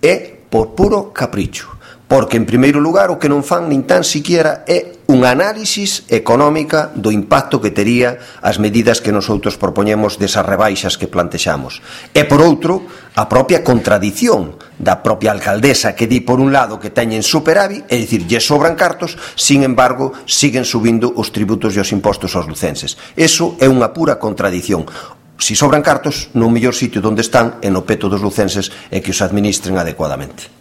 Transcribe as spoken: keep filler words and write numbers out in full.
é por puro capricho, porque, en primeiro lugar, o que non fan nin tan siquiera é unha análisis económica do impacto que tería as medidas que nosotros propoñemos desas rebaixas que plantexamos. E, por outro, a propia contradición da propia alcaldesa que di, por un lado, que teñen superávit, é dicir, lle sobran cartos, sin embargo, siguen subindo os tributos e os impostos aos lucenses. Eso é unha pura contradición. Si sobran cartos, no mellor sitio onde están é no peto dos lucenses e que os administren adecuadamente.